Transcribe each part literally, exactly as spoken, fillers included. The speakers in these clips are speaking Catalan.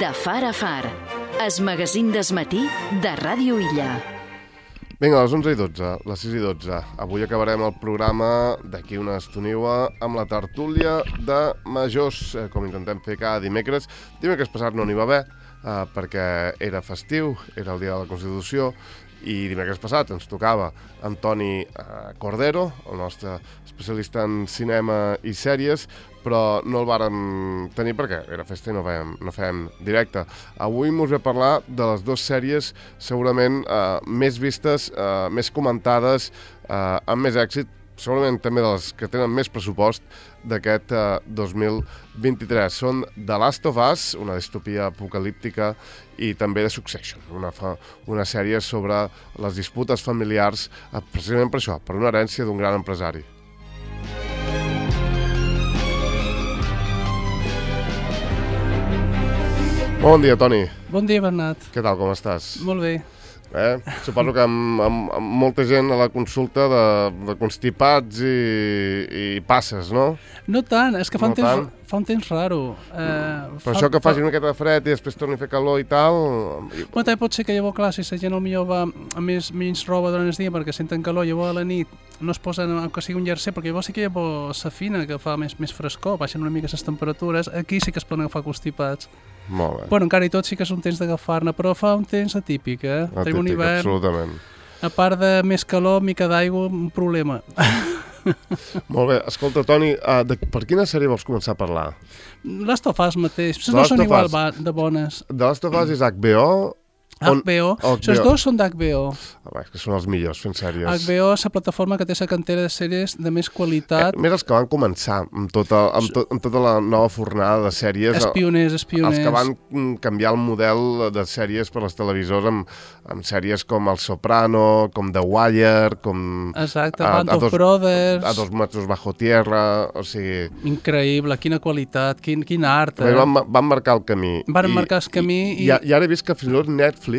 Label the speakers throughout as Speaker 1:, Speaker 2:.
Speaker 1: De far a far, es magazín d'esmatí de Ràdio Illa.
Speaker 2: Vinga, a les onze i dotze, les sis i dotze. Avui acabarem el programa d'aquí una estoniua amb la tertúlia de majors, eh, com intentem fer cada dimecres. Dimecres passat no n'hi va haver, eh, perquè era festiu, era el dia de la Constitució, i dimecres passat ens tocava Antoni eh, Cordero, el nostre especialista en cinema i sèries, però no el vàrem tenir perquè era festa i no fèiem, no fèiem directe. Avui mos ve a parlar de les dues sèries segurament eh, més vistes, eh, més comentades, eh, amb més èxit, segurament també de les que tenen més pressupost d'aquest eh, dos mil vint-i-tres. Són The Last of Us, una distopia apocalíptica, i també The Succession, una, fa, una sèrie sobre les disputes familiars, eh, precisament per això, per una herència d'un gran empresari. Bon dia, Toni.
Speaker 3: Bon dia, Bernat.
Speaker 2: Què tal, com estàs?
Speaker 3: Molt bé.
Speaker 2: Eh? Suposo que amb, amb, amb molta gent a la consulta de, de constipats i, i passes, no?
Speaker 3: No tant, és que fa,
Speaker 2: No
Speaker 3: un, temps,
Speaker 2: tant?
Speaker 3: fa un temps raro. Eh,
Speaker 2: Però
Speaker 3: fa,
Speaker 2: això que
Speaker 3: fa...
Speaker 2: faci una miqueta de fred i després torni a fer calor i tal...
Speaker 3: Bueno, també pot ser que llavors, clar, si la gent potser va amb més, menys roba durant el dia perquè senten calor, llavors a la nit no es posen, que sigui un jersei, perquè llavors sí que llavors s'afina, que fa més, més frescor, baixen una mica les temperatures, aquí sí que es poden agafar constipats.
Speaker 2: Molt bé.
Speaker 3: Bueno, encara i tot sí que és un temps d'agafar-ne, però fa un temps atípic, eh?
Speaker 2: Atípic,
Speaker 3: Tenim un hivern,
Speaker 2: absolutament.
Speaker 3: a part de més calor, mica d'aigua, un problema.
Speaker 2: Molt bé, escolta, Toni, uh, de, per quina sèrie vols començar a parlar?
Speaker 3: Last of Us mateix,
Speaker 2: The
Speaker 3: no
Speaker 2: Last
Speaker 3: són
Speaker 2: of
Speaker 3: igual
Speaker 2: Us.
Speaker 3: ba- de bones.
Speaker 2: The Last of Us és H B O? On-
Speaker 3: H B O,
Speaker 2: H B O.
Speaker 3: els dos són d'H B O.
Speaker 2: Ah, va, és que són els millors fent sèries.
Speaker 3: H B O és la plataforma que té la cantera de sèries de més qualitat.
Speaker 2: Eh, més els que van començar amb tota, amb, to, amb tota la nova fornada de sèries.
Speaker 3: Espioners, espioners.
Speaker 2: Els que van mm, canviar el model de sèries per les televisors amb, amb sèries com El Soprano, com The Wire, com...
Speaker 3: Exacte,
Speaker 2: a-
Speaker 3: Band
Speaker 2: a
Speaker 3: of
Speaker 2: dos-
Speaker 3: Brothers.
Speaker 2: A dos metres bajo tierra, o sigui...
Speaker 3: Increïble, quina qualitat, quin, quin art.
Speaker 2: Eh?
Speaker 3: Eh?
Speaker 2: Van, van marcar el camí.
Speaker 3: Van
Speaker 2: I-
Speaker 3: marcar el camí
Speaker 2: i...
Speaker 3: i-
Speaker 2: I, i ara he vist que fins i tot Netflix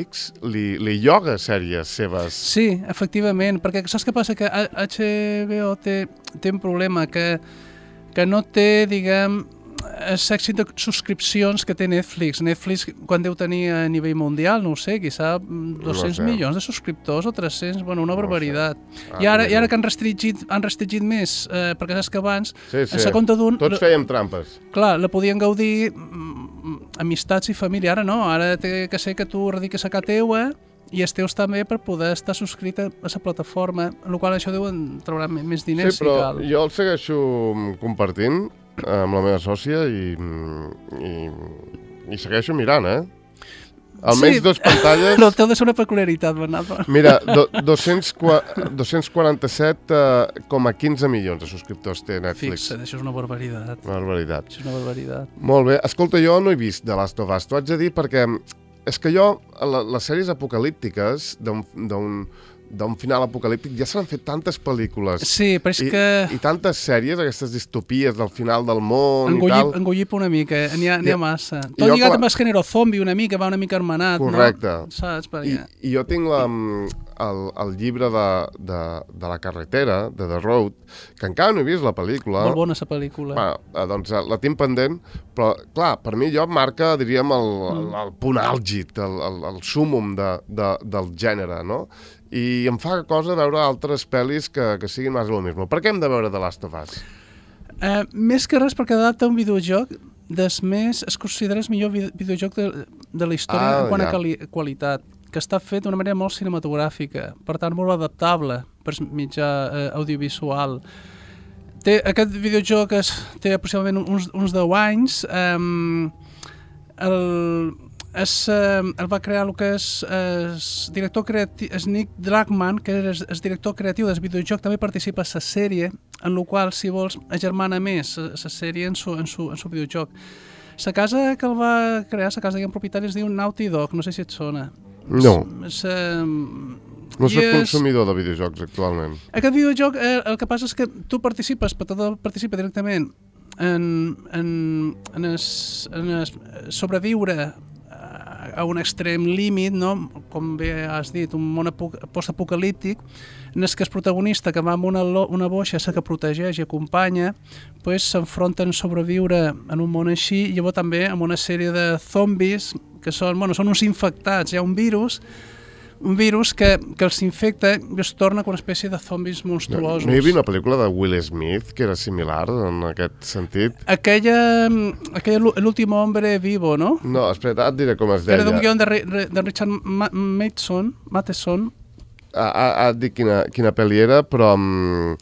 Speaker 2: li, li lloga sèries seves.
Speaker 3: Sí, efectivament, perquè saps què passa? Que H B O té, té un problema, que, que no té, diguem, l'èxit de subscripcions que té Netflix. Netflix, quan deu tenir a nivell mundial, no ho sé, quizà dos-cents
Speaker 2: No sé.
Speaker 3: milions de subscriptors o tres-cents, bueno, una
Speaker 2: No ho
Speaker 3: barbaritat.
Speaker 2: Ah,
Speaker 3: I ara,
Speaker 2: mira.
Speaker 3: i ara que han restringit, han restringit més, eh, perquè saps que abans,
Speaker 2: Sí, sí.
Speaker 3: a la compte d'un...
Speaker 2: Tots fèiem trampes.
Speaker 3: Clar, la podien gaudir mm, amistats i família, ara no, ara té que ser que tu radiques a casa teua i els teus també per poder estar subscrit a la plataforma, en la qual això deuen treure m- més diners
Speaker 2: Sí, però
Speaker 3: si cal.
Speaker 2: jo el segueixo compartint amb la meva sòcia i, i, i segueixo mirant, eh? Almenys
Speaker 3: Sí.
Speaker 2: dues pantalles...
Speaker 3: No, té de ser una peculiaritat, Bernat.
Speaker 2: Mira, do, dos-cents quaranta-set coma quinze milions de subscriptors té Netflix.
Speaker 3: Fixa't, això és una barbaritat.
Speaker 2: Barbaritat.
Speaker 3: Això és una barbaritat.
Speaker 2: Molt bé. Escolta, jo no he vist The Last of Us. T'ho haig de dir perquè és que jo, la, les sèries apocalíptiques d'un d'un d'un final apocalíptic ja s'han fet tantes pel·lícules
Speaker 3: Sí, però és
Speaker 2: i,
Speaker 3: que
Speaker 2: i tantes sèries, aquestes distopies del final del món i
Speaker 3: engollir,
Speaker 2: tal.
Speaker 3: engollir una mica, eh? n'hi ha, n'hi
Speaker 2: Ja.
Speaker 3: ha massa.
Speaker 2: I
Speaker 3: Tot
Speaker 2: jo,
Speaker 3: lligat
Speaker 2: clar-
Speaker 3: amb el gènere zombi una mica, va una mica hermanat,
Speaker 2: Correcte.
Speaker 3: no? Saps?
Speaker 2: I,
Speaker 3: Perquè...
Speaker 2: I jo tinc la, el, el llibre de, de, de la carretera, de The Road, que encara no he vist la pel·lícula.
Speaker 3: Molt bona la pel·lícula.
Speaker 2: Bueno, eh, doncs eh, la tinc pendent, però clar, per mi allò marca, diríem, el, el, el punt àlgid, el, el, el súmum de, de, del gènere, no? I em fa cosa veure altres pel·lis que, que siguin més o mismo. Per què hem de veure The Last of Us?
Speaker 3: Eh, més que res perquè adapta un videojoc des més, es considera el millor vi- videojoc de, de la història
Speaker 2: Ah,
Speaker 3: en quant
Speaker 2: ja.
Speaker 3: a quali qualitat, que està fet d'una manera molt cinematogràfica, per tant molt adaptable per mitjà eh, audiovisual. Té, aquest videojoc es, té aproximadament uns, uns deu anys. Eh, el, es, eh, el va crear el que és el director creatiu, és Nick Dragman, que és el director creatiu del videojoc, també participa a la sèrie, en la qual, si vols, agermana més la sèrie en su, en su, en su videojoc. La casa que el va crear, la casa de propietari, es diu Naughty Dog, no sé si et sona.
Speaker 2: No.
Speaker 3: És, eh,
Speaker 2: No
Speaker 3: i
Speaker 2: soc
Speaker 3: és-
Speaker 2: consumidor de videojocs actualment.
Speaker 3: Aquest videojoc, eh, el que passa és que tu participes, però participa directament en, en, en, es, en es sobreviure a, a un extrem límit, no? Com bé has dit, un món postapocalíptic, en el que el protagonista, que va amb una, una boixa, la que protegeix i acompanya, pues, s'enfronten a sobreviure en un món així, i llavors també amb una sèrie de zombis, que són, bueno, són uns infectats, hi ha un virus, un virus que, que els infecta i es torna com una espècie de zombis monstruosos.
Speaker 2: No, no hi havia una pel·lícula de Will Smith que era similar en aquest sentit?
Speaker 3: Aquella, aquella l'últim hombre vivo, no?
Speaker 2: No, espera, et diré com es deia.
Speaker 3: Era d'un guion de, de Richard Matheson. Matheson.
Speaker 2: Ah, ah, et dic quina, quina pel·li era, però... Um,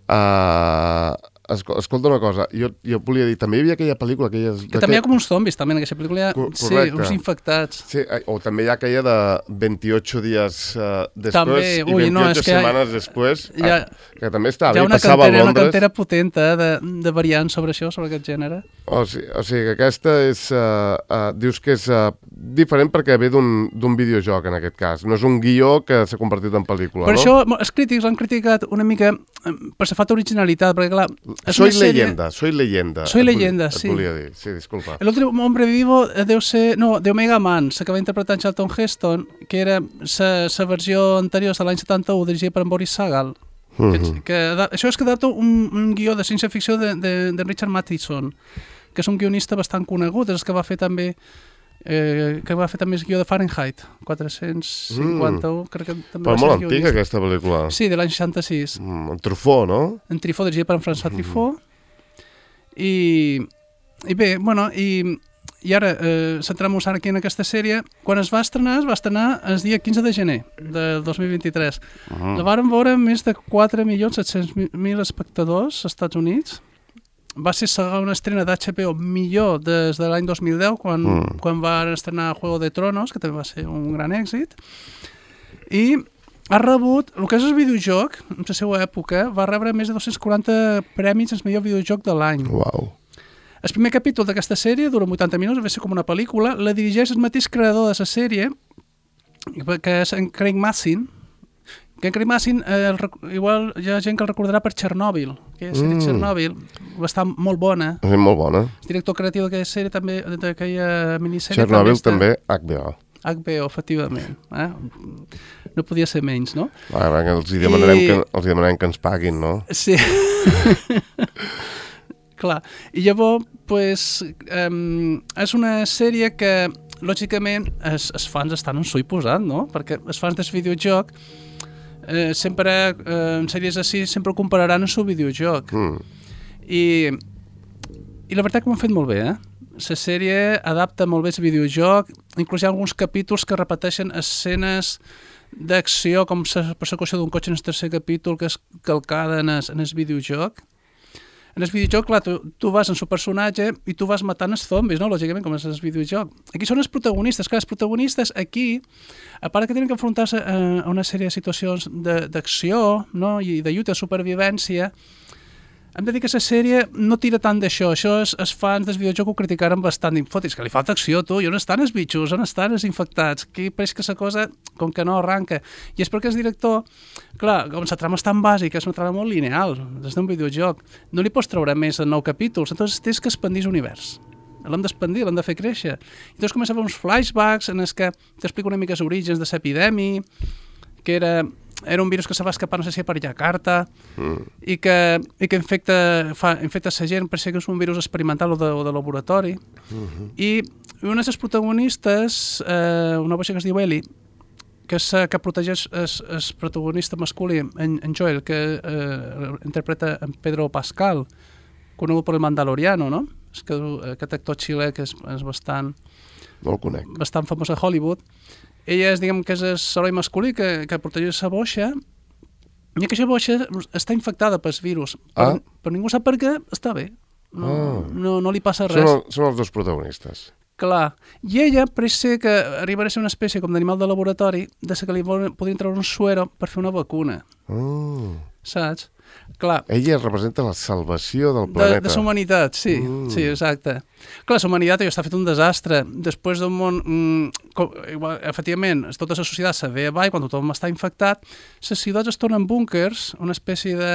Speaker 2: uh, escolta una cosa, jo, jo volia dir, també hi havia aquella pel·lícula... Aquelles,
Speaker 3: que també hi ha com uns zombis, també, en aquesta pel·lícula hi ha, sí, uns infectats.
Speaker 2: Sí, o també hi ha aquella de vint-i-ocho dies uh, després
Speaker 3: també,
Speaker 2: i
Speaker 3: ui,
Speaker 2: vint-i-ocho no, setmanes ha, després,
Speaker 3: ha,
Speaker 2: que també estava
Speaker 3: bé,
Speaker 2: passava a Londres. Hi ha
Speaker 3: una cantera potent eh, de, de variants sobre això, sobre aquest gènere.
Speaker 2: O sigui, o sigui que aquesta és... Uh, uh, dius que és uh, diferent perquè ve d'un videojoc, en aquest cas. No és un guió que s'ha convertit en pel·lícula,
Speaker 3: per
Speaker 2: no?
Speaker 3: Per això els crítics l'han criticat una mica per la falta d'originalitat, perquè clar...
Speaker 2: Soy leyenda, soy leyenda.
Speaker 3: Soy leyenda, sí.
Speaker 2: Et volia dir, sí, disculpa.
Speaker 3: L'últim hombre vivo deu ser... No, de Omega Man, la que va interpretar en Charlton Heston, que era la versió anterior de l'any setanta-u, dirigida per en Boris Sagal. Uh -huh. que, que, això és que data un, un guió de ciència-ficció de, de, de Richard Matheson, que és un guionista bastant conegut, és el que va fer també... Eh, que va fer també el guió de Fahrenheit quatre-cents cinquanta-u, mm. crec que també
Speaker 2: però
Speaker 3: va
Speaker 2: molt
Speaker 3: ser
Speaker 2: antiga aquesta pel·lícula.
Speaker 3: Sí, de l'any seixanta-sis.
Speaker 2: Mm, en Truffaut, no?
Speaker 3: En Truffaut, dirigida per en François Truffaut. Mm. I, i bé, bueno, i, i ara eh, centrem-nos aquí en aquesta sèrie. Quan es va estrenar, es va estrenar el dia quinze de gener del dos mil vint-i-tres. Mm. La varen veure més de quatre milions set-cents mil espectadors als Estats Units. Va ser una estrena d'H B O millor des de l'any dos mil deu, quan, mm. quan va estrenar Juego de Tronos, que també va ser un gran èxit. I ha rebut, el que és el videojoc, en la seva època, va rebre més de dos-cents quaranta premis al millor videojoc de l'any.
Speaker 2: Uau.
Speaker 3: El primer capítol d'aquesta sèrie dura vuitanta minuts, va ser com una pel·lícula, la dirigeix el mateix creador de la sèrie, que és en Craig Mazin, que en Craig Mazin, eh, igual hi ha gent que el recordarà per Chernobyl, que és mm. Chernobyl, va estar molt bona.
Speaker 2: És molt bona.
Speaker 3: El director creatiu d'aquella sèrie també, d'aquella minissèrie...
Speaker 2: Chernobyl també, H B O.
Speaker 3: H B O, efectivament. Eh? No podia ser menys, no?
Speaker 2: Ah, perquè els hi demanarem, I... que, els hi demanarem que ens paguin, no?
Speaker 3: Sí. Clar. I llavors, pues, um, és una sèrie que, lògicament, els, els fans estan en su i posant, no? Perquè els fans del videojoc Eh, sempre, eh, en sèries així, sempre ho compararan amb el seu videojoc. Mm. I, I la veritat que ho han fet molt bé, eh? La sèrie adapta molt bé el videojoc, inclús hi ha alguns capítols que repeteixen escenes d'acció, com la persecució d'un cotxe en el tercer capítol, que és calcada en el, en el videojoc. En el videojoc, clar, tu, tu vas en el personatge i tu vas matant els zombis, no? Lògicament, com és el videojoc. Aquí són els protagonistes. Clar, els protagonistes aquí, a part que tenen que enfrontar-se a, a una sèrie de situacions d'acció, no? I de lluita, de supervivència, hem de dir que la sèrie no tira tant d'això. Això és, els fans del videojoc ho criticaren bastant. Dic, fotis, que li falta acció, tu. I on estan els bitxos? On estan els infectats? Aquí pareix que la cosa, com que no arranca. I és perquè el director, clar, com la trama és tan bàsica, és una trama molt lineal, des d'un videojoc, no li pots treure més en nou capítols, entonces tens que expandir l'univers. L'hem d'expandir, l'hem de fer créixer. I llavors comença a fer uns flashbacks en els que t'explica una mica els orígens de l'epidèmia, que era... era un virus que se va escapar, no sé si per Jakarta, mm. i, que, i que infecta, fa, infecta la gent, per ser que és un virus experimental o de, o de laboratori. Mm-hmm. I una de les protagonistes, eh, una boixa que es diu Ellie, que, és, que protegeix el protagonista masculí, en, en Joel, que eh, interpreta en Pedro Pascal, conegut per el Mandaloriano, no? És que, aquest actor xilè que és, és bastant,
Speaker 2: no el conec.
Speaker 3: bastant famós a Hollywood. Ella és, diguem, que és l'heroi masculí que, que protegeix la boixa, i aquesta boixa està infectada pel virus, ah. però, però ningú sap per què, està bé, no, ah. no, no li passa res.
Speaker 2: Són, són els dos protagonistes.
Speaker 3: Clar, i ella pareix ser que arribarà a ser una espècie com d'animal de laboratori, de que li podrien treure un suero per fer una vacuna,
Speaker 2: oh.
Speaker 3: saps? Clar.
Speaker 2: Ella representa la salvació del planeta.
Speaker 3: De, de la humanitat, sí, mm. sí, exacte. Clar, la humanitat ja està fet un desastre. Després d'un món... Mm, com, igual, efectivament, tota la societat se ve avall, quan tothom està infectat, les ciutats es tornen búnkers, una espècie de...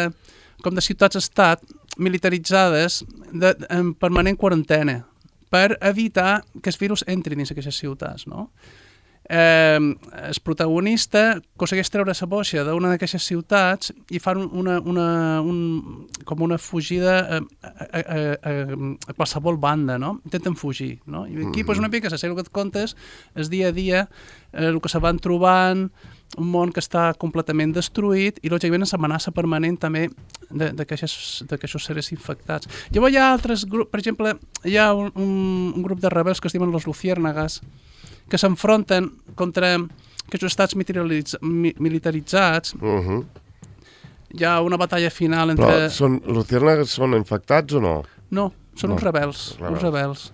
Speaker 3: com de ciutats-estat militaritzades de, en permanent quarantena, per evitar que el virus entri dins aquestes ciutats, no? Eh, el protagonista aconsegueix treure la boixa d'una d'aquestes ciutats i fan una, una, un, com una fugida a, a, a, a, a qualsevol banda, no? Intenten fugir, no? I aquí, mm. pues, una mica, la sèrie que et contes, el dia a dia, eh, el que se van trobant, un món que està completament destruït i, lògicament, l'amenaça permanent també d'aquests seres infectats. Llavors hi ha altres grups, per exemple, hi ha un, un, un grup de rebels que es diuen los Luciérnagas, que s'enfronten contra aquests estats militaritzats.
Speaker 2: Uh-huh.
Speaker 3: Hi ha una batalla final entre...
Speaker 2: Però són, Luciérnagas són infectats o no?
Speaker 3: No, són
Speaker 2: no.
Speaker 3: uns rebels.
Speaker 2: rebels.
Speaker 3: Uns rebels.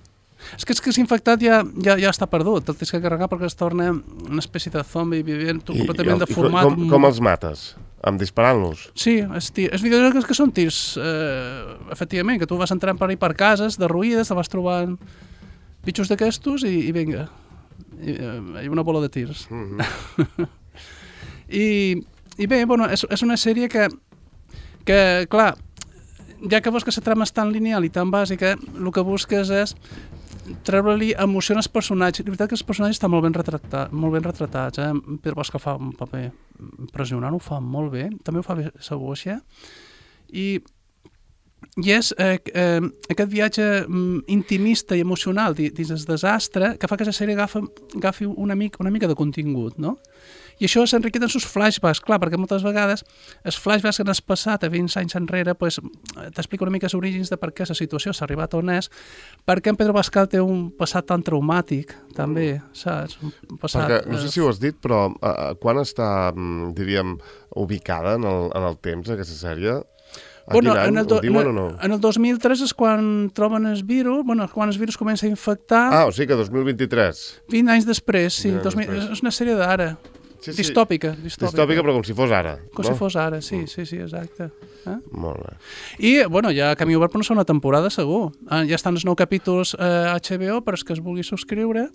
Speaker 3: És que, és que s'infectat ja, ja, ja està perdut, el tens que carregar perquè es torna una espècie de zombi vivent I, completament
Speaker 2: i,
Speaker 3: deformat.
Speaker 2: I com, com els mates? Amb disparant-los?
Speaker 3: Sí, els, els videojocs que són tirs, eh, efectivament, que tu vas entrant per ahí per cases derruïdes, te vas trobant bitxos d'aquestos i, i vinga, i, eh, una bola de tirs.
Speaker 2: Mm-hmm.
Speaker 3: I, I bé, bueno, és, és una sèrie que, que, clar, ja que veus que la trama és tan lineal i tan bàsica, el que busques és treure-li emoció als personatges. La veritat que els personatges estan molt ben, retratat, molt ben retratats. Eh? Pedro Pascal fa un paper impressionant, ho fa molt bé. També ho fa bé la boixa. I, i és eh, eh, aquest viatge mm, intimista i emocional dins el desastre que fa que la sèrie agafi, agafi una, mica, una mica de contingut, no? I això s'enriquet en els flashbacks, clar, perquè moltes vegades els flashbacks que han passat a vint anys enrere pues, t'explica una mica els orígens de per què la situació s'ha arribat on és, perquè en Pedro Pascal té un passat tan traumàtic, també, saps? Un passat,
Speaker 2: perquè, no sé si ho has dit, però uh, quan està, diríem, ubicada en el, en el temps aquesta sèrie? A
Speaker 3: bueno,
Speaker 2: quin any?
Speaker 3: en el, do,
Speaker 2: Ho diuen
Speaker 3: en,
Speaker 2: o no?
Speaker 3: En el dos mil tres és quan troben el virus, bueno, quan el virus comença a infectar...
Speaker 2: Ah, o sigui que dos mil vint-i-tres.
Speaker 3: vint anys després, sí. dos mil,
Speaker 2: després.
Speaker 3: És una sèrie d'ara.
Speaker 2: Sí, sí.
Speaker 3: Distòpica, distòpica.
Speaker 2: Distòpica, però com si fos ara.
Speaker 3: Com
Speaker 2: no?
Speaker 3: si fos ara, sí, sí, sí, exacte. Eh?
Speaker 2: Molt bé.
Speaker 3: I, bueno, hi ha camí obert per una segona temporada, segur. Eh, ja estan els nou capítols a eh, H B O per als que es vulgui subscriure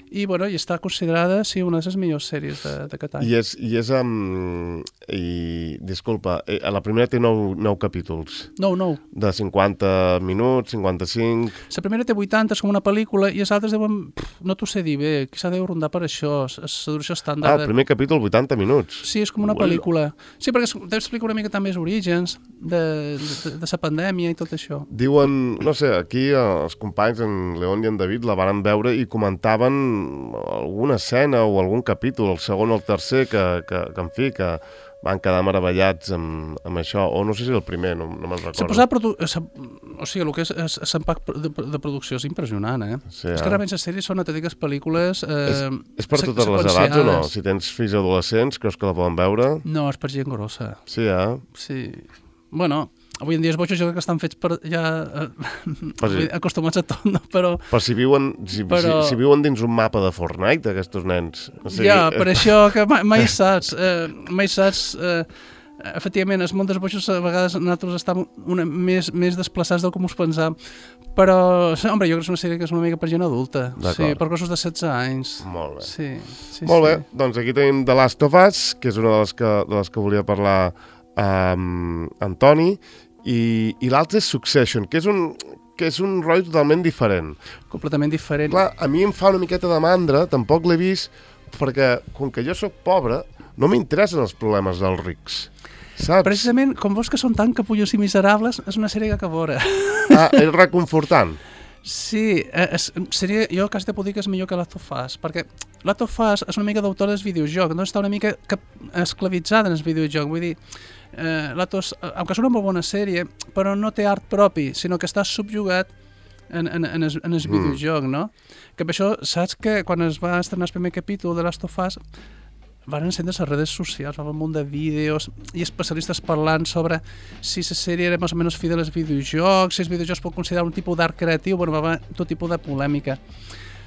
Speaker 3: i, bueno, i està considerada, sí, una de les millors sèries d'aquest any.
Speaker 2: I és, i és um, i, disculpa, eh, la primera té nou, nou capítols.
Speaker 3: Nou, nou.
Speaker 2: De cinquanta minuts, cinquanta-cinc...
Speaker 3: La primera té vuitanta, és com una pel·lícula, i els altres deuen, pff, no t'ho sé dir bé, quizà deu rondar per això, és la duració estàndard.
Speaker 2: Ah, el primer capítol, vuitanta minuts.
Speaker 3: Sí, és com una
Speaker 2: Bueno.
Speaker 3: pel·lícula. Sí, perquè t'explica una mica també els orígens de, de, de la pandèmia i tot això.
Speaker 2: Diuen, no sé, aquí els companys, en León i en David, la van veure i comentaven alguna escena o algun capítol, el segon o el tercer, que, que, que en fi, que van quedar meravellats amb, amb això, o no sé si el primer, no, no me'n recordo.
Speaker 3: Posar produ... O sigui, el que és l'impacte de, de producció és impressionant, eh?
Speaker 2: Sí,
Speaker 3: és que realment les sèries són autèntiques pel·lícules... Eh,
Speaker 2: és, és per totes les edats o no? Si tens fills adolescents, creus que la poden veure?
Speaker 3: No, és per gent grossa.
Speaker 2: Sí, eh?
Speaker 3: Sí. Bueno, avui en dia els boixos jo crec que estan fets per ja eh,
Speaker 2: sí.
Speaker 3: acostumats a tot, no? Però...
Speaker 2: Però si viuen, si,
Speaker 3: Però...
Speaker 2: si, si viuen dins un mapa de Fortnite, aquests nens... O sigui,
Speaker 3: ja, per això que mai, mai saps, eh, mai saps... Eh, efectivament, el món dels boixos a vegades nosaltres estem una, més, més desplaçats del que ens pensam, però, home, jo crec que és una sèrie que és una mica per gent adulta, sí, per cossos de setze anys.
Speaker 2: Molt bé.
Speaker 3: Sí, sí,
Speaker 2: Molt bé,
Speaker 3: sí.
Speaker 2: doncs aquí tenim The Last of Us, que és una de les que, de les que volia parlar amb um, Antoni, i, i l'altre és Succession, que és un... que és un rotllo totalment diferent.
Speaker 3: Completament diferent.
Speaker 2: Clar, a mi em fa una miqueta de mandra, tampoc l'he vist, perquè com que jo sóc pobre, no m'interessen els problemes dels rics. Saps?
Speaker 3: Precisament, com veus que són tan capullos i miserables, és una sèrie que acabora.
Speaker 2: Ah, és reconfortant.
Speaker 3: Sí, és, seria, jo quasi te puc dir que és millor que Last of Us, perquè Last of Us és una mica d'autor del videojoc, no està una mica esclavitzada en el videojoc, vull dir, eh, Last of Us, aunque és una molt bona sèrie, però no té art propi, sinó que està subjugat en, en, en, el, en el videojoc, no? Que per això, saps que quan es va estrenar el primer capítol de Last of Us, van encendre les redes socials, va haver un munt de vídeos i especialistes parlant sobre si la sèrie era més o menys fidel als videojocs, si els videojocs pot considerar un tipus d'art creatiu, bueno, va haver tot tipus de polèmica.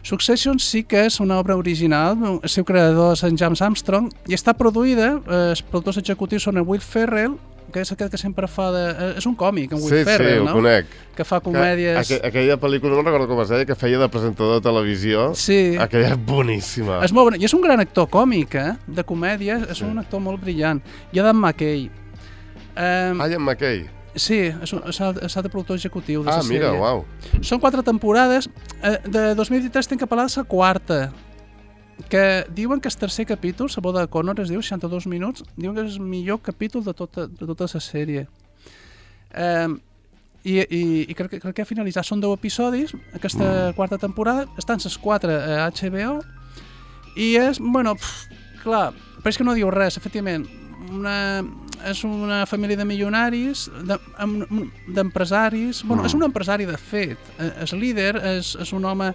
Speaker 3: Succession sí que és una obra original, el seu creador és en James Armstrong, i està produïda, eh, els productors executius són en Will Ferrell, que és aquest que sempre fa de... És un còmic, en Will
Speaker 2: sí,
Speaker 3: Ferrell,
Speaker 2: sí,
Speaker 3: no?
Speaker 2: Sí, ho conec.
Speaker 3: Que fa comèdies...
Speaker 2: Que, aqu aquella pel·lícula, no recordo com es deia, que feia de presentador de televisió.
Speaker 3: Sí.
Speaker 2: Aquella és boníssima.
Speaker 3: És molt bona. I és un gran actor còmic, eh? De comèdia, és sí. un actor molt brillant. I Adam McKay.
Speaker 2: Um, Ian McKay.
Speaker 3: Sí, és un, s'ha de productor executiu de la
Speaker 2: ah,
Speaker 3: sèrie.
Speaker 2: Ah, mira, uau.
Speaker 3: Són quatre temporades. De dos mil vint-i-tres tinc que parlar de la quarta, que diuen que el tercer capítol, la boda de Connor, es diu seixanta-dos minuts, diuen que és el millor capítol de tota, de tota la sèrie. Um, i, i, i crec, crec que ha finalitzat. Són deu episodis, aquesta mm. quarta temporada, estan les quatre a H B O, i és, bueno, pff, clar, però és que no diu res, efectivament. Una, és una família de milionaris, d'empresaris, de, bueno, mm. és un empresari de fet, el líder és, és un home,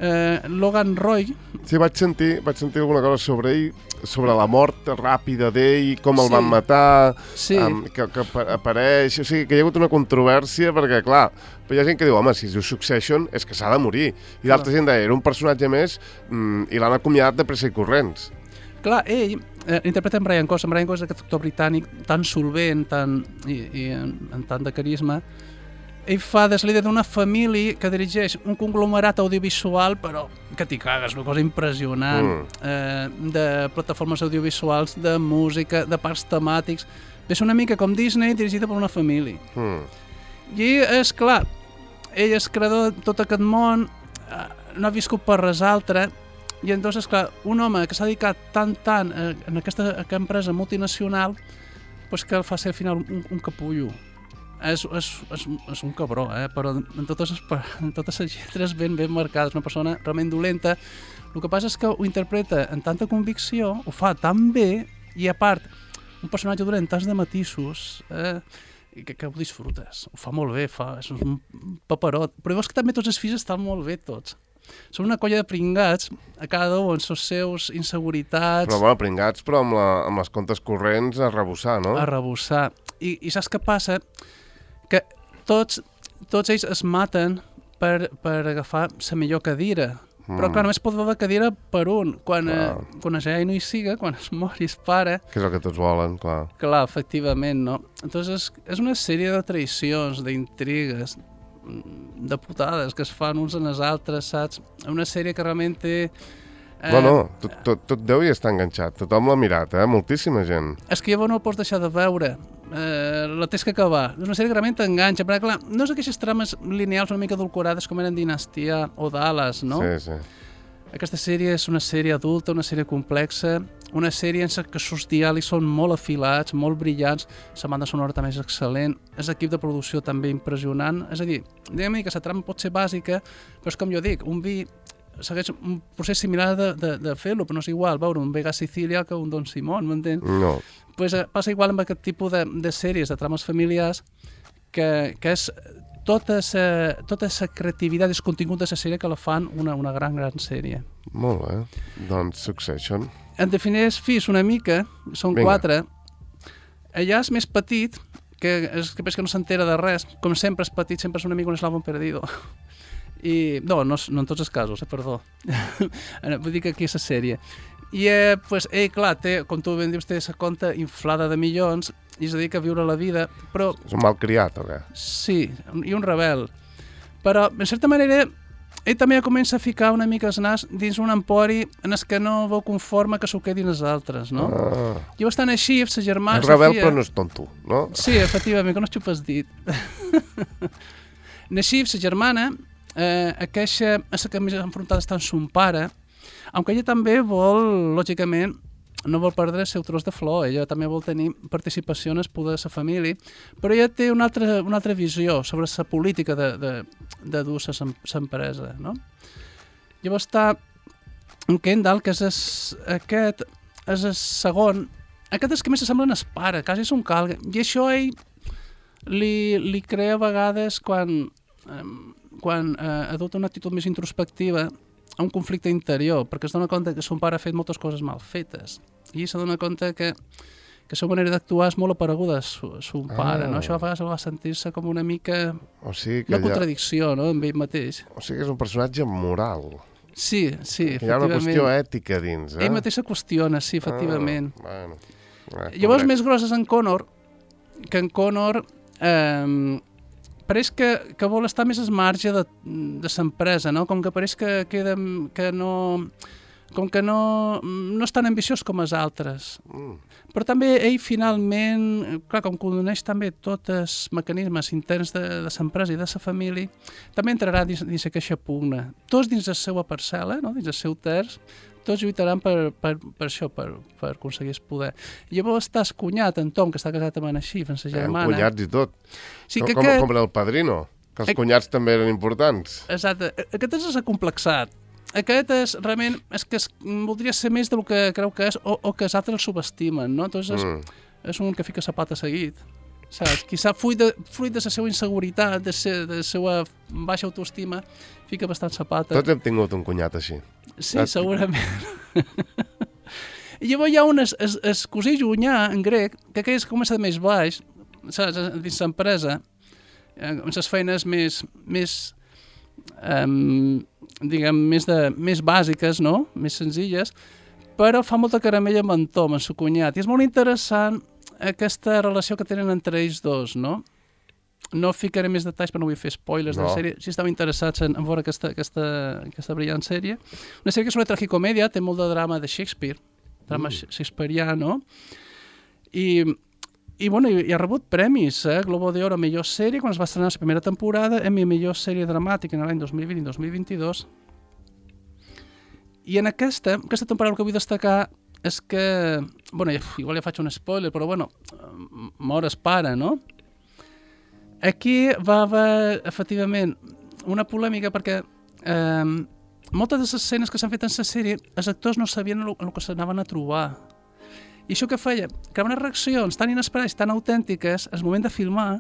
Speaker 3: eh, Logan Roy.
Speaker 2: Sí, vaig sentir, vaig sentir alguna cosa sobre ell, sobre la mort ràpida d'ell, com el
Speaker 3: sí.
Speaker 2: van matar,
Speaker 3: sí.
Speaker 2: um, que, que apareix, o sigui, que hi ha hagut una controvèrsia, perquè, clar, però hi ha gent que diu, home, si es diu Succession és que s'ha de morir, i l'altra gent deia, era un personatge més, mm, i l'han acomiadat de pressa i corrents.
Speaker 3: Clar, ell eh, interpreta en Brian Cox. En Brian Cox és aquest actor britànic tan solvent tan, i, i en, en tant de carisma. Ell fa des líder d'una família que dirigeix un conglomerat audiovisual, però que t'hi cagues, una cosa impressionant, mm. eh, de plataformes audiovisuals, de música, de parcs temàtics. És una mica com Disney dirigida per una família. Mm. I és clar, ell és creador de tot aquest món, eh, no ha viscut per res altre. I entonces, clar, un home que s'ha dedicat tant, tant eh, en aquesta, aquesta empresa multinacional, pues que el fa ser al final un, un capullo. És, és, és, és un cabró, eh? Però en totes, les, en totes les lletres ben, ben marcades, una persona realment dolenta. El que passa és que ho interpreta amb tanta convicció, ho fa tan bé, i a part, un personatge dolent tants de matisos, eh? Que, que ho disfrutes. Ho fa molt bé, fa, és un paperot. Però veus que també tots els fills estan molt bé, tots. Són una colla de pringats, a cada un amb les seus inseguritats...
Speaker 2: Però bueno, pringats, però amb, la, amb les comptes corrents a rebussar, no?
Speaker 3: A rebussar. I, i saps què passa? Que tots, tots ells es maten per, per agafar la millor cadira. Mm. Però clar, només pot haver cadira per un. Quan, eh, quan ja no hi siga, quan es mori es pare...
Speaker 2: Que és el que tots volen, clar.
Speaker 3: Clar, efectivament, no? Entonces és, és una sèrie de traïcions, d'intrigues, de putades que es fan uns en els altres, saps? Una sèrie que realment té... Eh...
Speaker 2: Bueno, tot, tot, tot deu hi està enganxat, tothom l'ha mirat, eh? Moltíssima gent.
Speaker 3: És que llavors no el pots deixar de veure, eh, la tens que acabar. És una sèrie que realment t'enganxa, perquè clar, no és aquelles trames lineals una mica adulcorades com eren Dinastia o Dallas, no?
Speaker 2: Sí, sí.
Speaker 3: Aquesta sèrie és una sèrie adulta, una sèrie complexa, una sèrie en què els diàlegs són molt afilats, molt brillants, la banda sonora també és excel·lent, és equip de producció també impressionant, és a dir, diguem-ne que la trama pot ser bàsica, però és com jo dic, un vi segueix un procés similar de, de, de fer-lo, però no és igual veure un Vega Sicilia que un Don Simón, m'entens?
Speaker 2: No.
Speaker 3: Pues, eh, passa igual amb aquest tipus de, de sèries, de trames familiars, que, que és tota la tota creativitat i el contingut de la sèrie que la fan una, una gran, gran sèrie.
Speaker 2: Molt bé. Doncs Succession.
Speaker 3: En defineix fills una mica, són Vinga. quatre. Allà és més petit, que és que, que no s'entera de res. Com sempre és petit, sempre és una mica un eslàvon perdido. I, no, no, no en tots els casos, eh, perdó. Vull dir que aquí és la sèrie. I, eh, pues, ell, clar, té, com tu ben dius, té la compta inflada de milions i es dedica a viure la vida, però...
Speaker 2: És un malcriat, o què?
Speaker 3: Sí, i un rebel. Però, en certa manera, ell també comença a ficar una mica el nas dins un empori en el que no veu conforme que s'ho quedin els altres, no? Ah. I bastant així, sa germana...
Speaker 2: És rebel, però no és tonto, no?
Speaker 3: Sí, efectivament, que no es xupes dit. Així, sa germana, eh, aqueixa, és la que més enfrontada està amb son pare, aunque ella també vol, lògicament, no vol perdre el seu tros de flor, ella també vol tenir participació en el poder de la família, però ella té una altra, una altra visió sobre la política de, de, de dur l'empresa, no? Llavors està en Kendall, que és es, aquest, és el segon, aquest és que més s'assembla el pare, quasi és un calga, i això ell li, li crea a vegades quan, eh, quan eh, adopta una actitud més introspectiva, a un conflicte interior, perquè es dona compte que son pare ha fet moltes coses mal fetes i se dona compte que, que la seva manera d'actuar és molt apareguda a son pare, ah. no? Això a vegades va sentir-se com una mica
Speaker 2: o sigui que
Speaker 3: una contradicció, ha... no?, amb ell mateix.
Speaker 2: O sigui que és un personatge moral.
Speaker 3: Sí, sí,
Speaker 2: efectivament. Hi ha una qüestió ètica dins, eh?
Speaker 3: Ell mateix se qüestiona, sí, efectivament.
Speaker 2: Ah, bueno. Eh,
Speaker 3: Llavors, més grosses en Connor, que en Connor... Eh, pareix que, que vol estar més al marge de, de l'empresa, no? Com que pareix que, queda, que no, com que no, no és tan ambiciós com els altres.
Speaker 2: Mm.
Speaker 3: Però també ell finalment, clar, com coneix també tots els mecanismes interns de, de l'empresa i de la família, també entrarà dins, dins aquesta pugna. Tots dins la seva parcel·la, no? Dins el seu terç, tots lluitaran per, per, per això, per, per aconseguir el poder. I llavors està el cunyat, en Tom, que està casat amb en Així, amb la germana.
Speaker 2: Eh, cunyats i tot.
Speaker 3: Sí,
Speaker 2: com,
Speaker 3: que
Speaker 2: com,
Speaker 3: aquest...
Speaker 2: com era el Padrino, que els
Speaker 3: Eh...
Speaker 2: cunyats també eren importants.
Speaker 3: Exacte. Aquest és acomplexat. Aquest és, realment, és que es, voldria ser més del que creu que és o, o que els altres el subestimen, no? Entonces és, mm. és un que fica la pata seguit, saps? Quizà fruit de, fruit de la seva inseguretat, de, se, de la seva baixa autoestima, fica bastant la pata.
Speaker 2: Tots hem tingut un cunyat així.
Speaker 3: Sí, ah, segurament. I llavors hi ha un es, es, es cosí llunyà, en grec, que aquell comença de més baix, saps? Dins l'empresa, amb les feines més... més Um, diguem, més, de, més bàsiques, no? Més senzilles, però fa molta caramella amb en Tom, en seu cunyat. I és molt interessant aquesta relació que tenen entre ells dos, no? No ficaré més detalls, però no vull fer spoilers no. de la sèrie. Si estàu interessats en, en veure aquesta, aquesta, aquesta brillant sèrie. Una sèrie que és una tragicomèdia, té molt de drama de Shakespeare, drama mm. shakespeariano, i... I, bueno, i, i ha rebut premis, eh? Globo d'Oro a millor sèrie, quan es va estrenar la primera temporada, Emmy a millor sèrie dramàtica en l'any dos mil vint i dos mil vint-i-dos. I en aquesta, aquesta temporada el que vull destacar és que, bueno, igual ja faig un spoiler, però bueno, mor es pare, no? Aquí va haver, efectivament, una polèmica perquè eh, moltes de les escenes que s'han fet en la sèrie, els actors no sabien el, el que s'anaven a trobar. I això que feia? Que unes reaccions tan inesperades, tan autèntiques, al moment de filmar,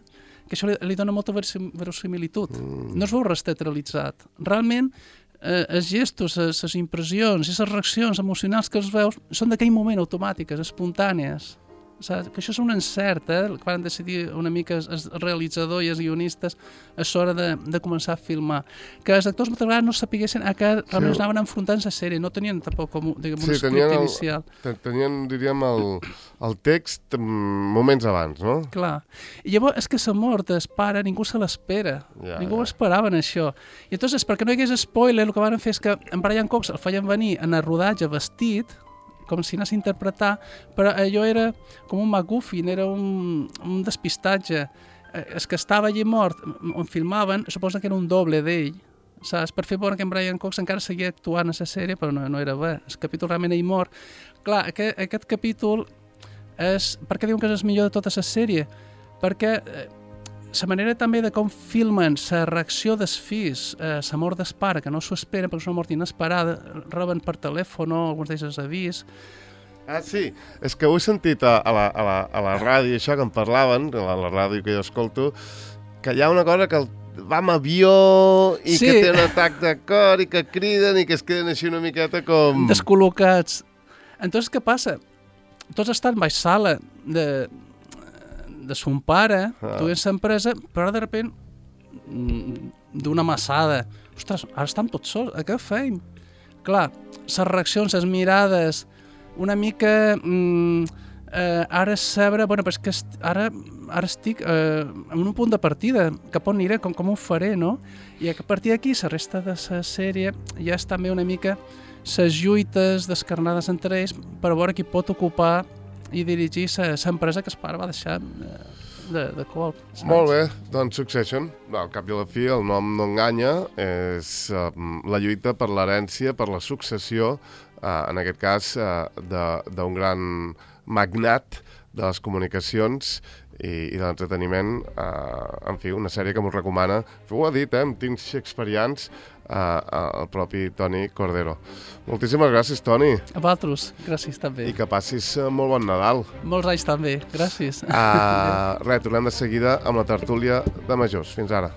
Speaker 3: que això li, li dona molta verosimilitud. Mm. No es veu res teatralitzat. Realment, eh, els gestos, les, les impressions i les reaccions emocionals que els veus són d'aquell moment automàtiques, espontànies. Saps? Que això és un encert, eh? Que van decidir una mica el realitzador i els guionistes a l'hora de, de començar a filmar. Que els actors moltes vegades no sapiguessin a què realment sí. anaven enfrontant la sèrie, no tenien tampoc com diguem, sí, un script inicial.
Speaker 2: El, tenien, diríem, el, el text moments abans, no?
Speaker 3: Clar. I llavors és que la mort del pare ningú se l'espera. Ja, ningú ja. ho esperava en això. I llavors, perquè no hi hagués spoiler, el que van fer és que en Brian Cox el feien venir en el rodatge vestit, com si anés a interpretar, però allò era com un MacGuffin, era un, un despistatge. El que estava allí mort, on filmaven, suposa que era un doble d'ell, saps? Per fer veure que en Brian Cox encara seguia actuant a la sèrie, però no, no era bé. El capítol realment ell mort. Clar, aquest, aquest capítol és... Per què diuen que és el millor de tota la sèrie? Perquè la manera també de com filmen la reacció dels fills, eh, la mort del pare, que no s'ho esperen perquè és una mort inesperada, reben per telèfon, alguns d'ells els avís.
Speaker 2: Ah, sí, és que ho he sentit a, a, la, a, la, a la ràdio, això que em parlaven, a la ràdio que jo escolto, que hi ha una cosa que el, va amb avió i sí. que té un atac de cor i que criden i que es queden així una miqueta com...
Speaker 3: descol·locats. Entonces, què passa? Tots estan baix sala de... de son pare, ah. duent l'empresa, però de repent d'una massada. Ostres, ara estan tots sols, a què feim? Clar, les reaccions, les mirades, una mica... Mm, eh, ara sabre, bueno, però és que est, ara, ara estic eh, en un punt de partida, cap on aniré, com, com ho faré, no? I a partir d'aquí, la resta de la sèrie ja és també una mica les lluites descarnades entre ells per veure qui pot ocupar i dirigir l'empresa que el pare va deixar de, de colp. Saps?
Speaker 2: Molt bé, doncs Succession, al cap i a la fi el nom no enganya, és uh, la lluita per l'herència, per la successió, uh, en aquest cas uh, d'un gran magnat de les comunicacions i, i de l'entreteniment, uh, en fi, una sèrie que m'ho recomana, ho ha dit, eh, amb tints shakespearians, Uh, el propi Toni Cordero. Moltíssimes gràcies, Toni.
Speaker 3: A vosaltres, gràcies també.
Speaker 2: I que passis uh, molt bon Nadal.
Speaker 3: Molts anys també, gràcies.
Speaker 2: Uh, res, tornem de seguida amb la tertúlia de majors. Fins ara.